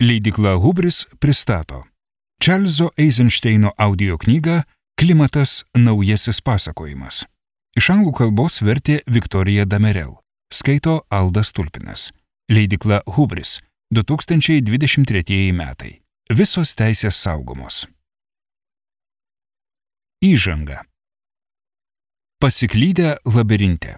Leidykla Hubris pristato Čarlzo Eizenšteino audio knygą Klimatas naujasis pasakojimas. Iš anglų kalbos vertė Viktorija Damerel. Skaito Aldas Tulpinas. Leidykla Hubris, 2023 metai. Visos teisės saugomos. Įžanga. Pasiklydę labirinte.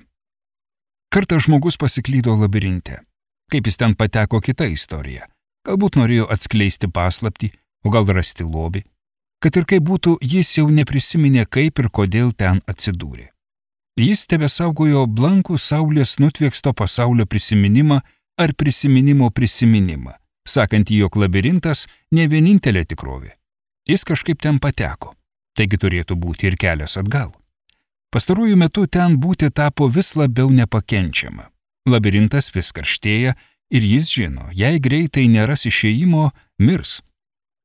Kartą žmogus pasiklydo labirinte. Kaip jis ten pateko, kita istorija. Galbūt norėjo atskleisti paslaptį, o gal rasti lobį. Kad ir kaip būtų, jis jau neprisiminė, kaip ir kodėl ten atsidūrė. Jis tebesaugojo blankų saulės nutvieksto pasaulio prisiminimą ar prisiminimo prisiminimą, sakantį, jog labirintas ne vienintelė tikrovė. Jis kažkaip ten pateko, taigi turėtų būti ir kelias atgal. Pastaruoju metu ten būti tapo vis labiau nepakenčiama. Labirintas vis karštėja ir jis žino, jei greitai neras išėjimo, mirs.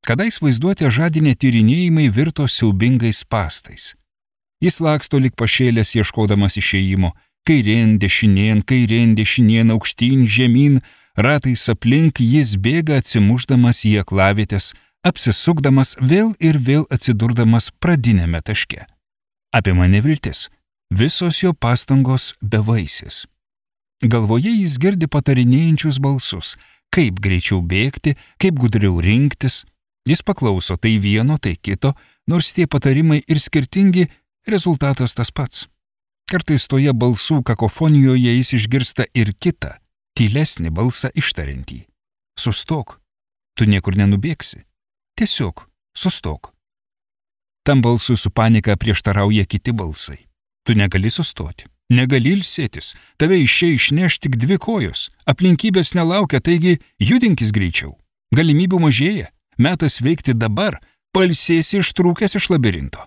Kadais vaizduotė žadinė tyrinėjimai virto siaubingais spąstais. Jis laksto lyg pašėlęs ieškodamas išėjimo, kairėn, dešinėn, aukštyn, žemyn, ratais aplink jis bėga atsimušdamas į aklavietės, apsisukdamas vėl ir vėl atsidurdamas pradinėme taške. Apima neviltis, visos jo pastangos bevaisės. Galvoje jis girdi patarinėjančius balsus, kaip greičiau bėgti, kaip gudriau rinktis. Jis paklauso tai vieno, tai kito, nors tie patarimai ir skirtingi, rezultatas tas pats. Kartais toje balsų kakofonijoje jis išgirsta ir kitą, tylesnį balsą ištariantį. Sustok, tu niekur nenubėgsi. Tiesiog sustok. Tam balsui su panika prieštarauja kiti balsai. Tu negali sustoti. Negali ilsėtis, tave išneš tik dvi kojos, aplinkybės nelaukia, taigi judinkis greičiau. Galimybių mažėja, metas veikti dabar, pailsėsi ištrūkęs iš labirinto.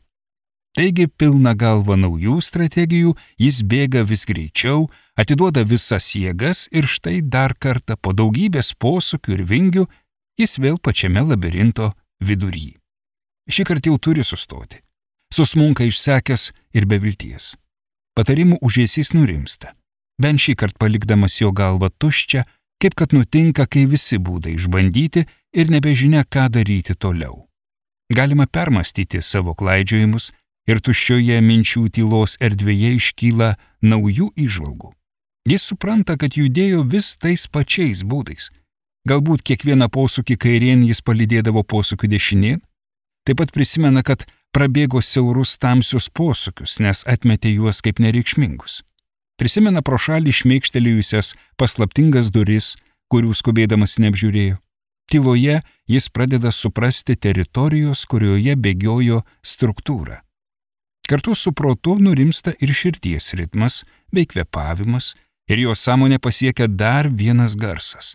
Taigi pilna galva naujų strategijų, jis bėga vis greičiau, atiduoda visas jėgas ir štai dar kartą po daugybės posūkių ir vingių jis vėl pačiame labirinto vidury. Šįkart jau turi sustoti. Susmunka išsekęs ir be vilties. Patarimų užėsys nurimsta, bent šįkart palikdamas jo galvą tuščią, kaip kad nutinka, kai visi būdai išbandyti ir nebežinia, ką daryti toliau. Galima permastyti savo klaidžiojimus ir tuščioje minčių tylos erdvėje iškyla naujų įžvalgų. Jis supranta, kad judėjo vis tais pačiais būdais. Galbūt kiekvieną posūkį kairien jis palydėdavo posūkių dešinėn. Taip pat prisimena, kad prabėgo siaurus tamsius posūkius, nes atmetė juos kaip nereikšmingus. Prisimena pro šalį šmėkštelėjusias paslaptingas duris, kurių skubėdamas neapžiūrėjo. Tyloje jis pradeda suprasti teritorijos, kurioje bėgiojo struktūrą. Kartu su protu nurimsta ir širdies ritmas bei kvėpavimas, ir jo sąmonė pasiekia dar vienas garsas.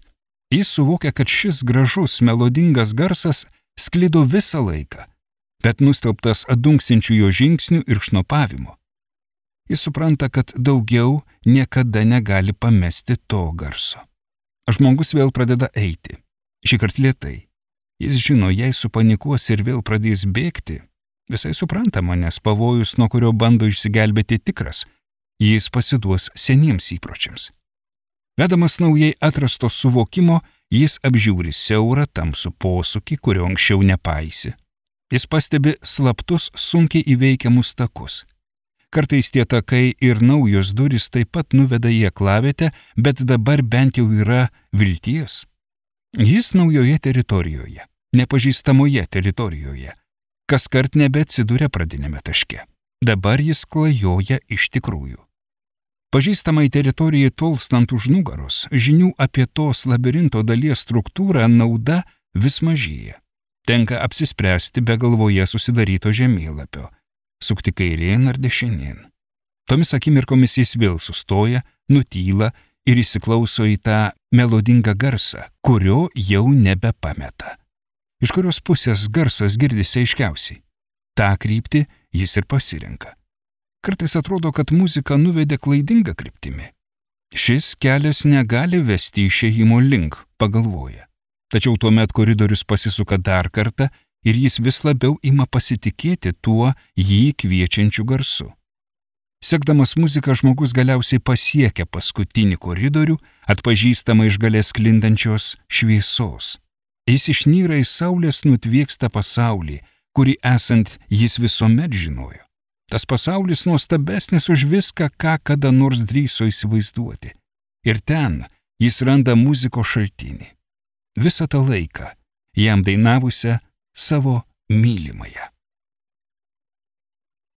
Jis suvokia, kad šis gražus, melodingas garsas sklido visą laiką, bet nustelbtas adunksinčių jo žingsnių ir šnopavimo. Jis supranta, kad daugiau niekada negali pamesti to garso. Žmogus vėl pradeda eiti, šįkart lėtai. Jis žino, jei supanikuos ir vėl pradės bėgti, visai suprantama, nes pavojus, nuo kurio bando išsigelbėti tikras, jis pasiduos seniems įpročiams. Vedamas naujai atrasto suvokimo, jis apžiūri siaurą tamsų posūkį, kurio anksčiau nepaisė. Jis pastebi slaptus, sunkiai įveikiamus takus. Kartais tie takai ir naujos durys taip pat nuveda į aklavietę, bet dabar bent jau yra vilties. Jis naujoje teritorijoje, nepažįstamoje teritorijoje. Kaskart nebeatsiduria pradinėme taške. Dabar jis klajoja iš tikrųjų. Pažįstamai teritorijai tolstant už nugaros, žinių apie tos labirinto dalies struktūrą nauda vis mažėja. Tenka apsispręsti be galvoje susidaryto žemėlapio, sukti kairėn ar dešinėn. Tomis akimirkomis jis vėl sustoja, nutyla ir įsiklauso į tą melodingą garsą, kurio jau nebepameta. Iš kurios pusės garsas girdisi aiškiausiai. tą kryptį jis ir pasirenka. Kartais atrodo, kad muzika nuvedė klaidingą kryptimi. Šis kelias negali vesti išėjimo link, pagalvoja. Tačiau tuomet koridorius pasisuka dar kartą ir jis vis labiau ima pasitikėti tuo jį kviečiančiu garsu. Sekdamas muziką žmogus galiausiai pasiekia paskutinį koridorių, atpažįstamą iš gale sklindančios šviesos. Jis išnyra į saulės nutviekstą pasaulį, kurį esant jis visuomet žinojo. Tas pasaulis nuostabesnis už viską, ką kada nors drįso įsivaizduoti. Ir ten jis randa muzikos šaltinį. Visą tą laiką jam dainavusią savo mylimąją.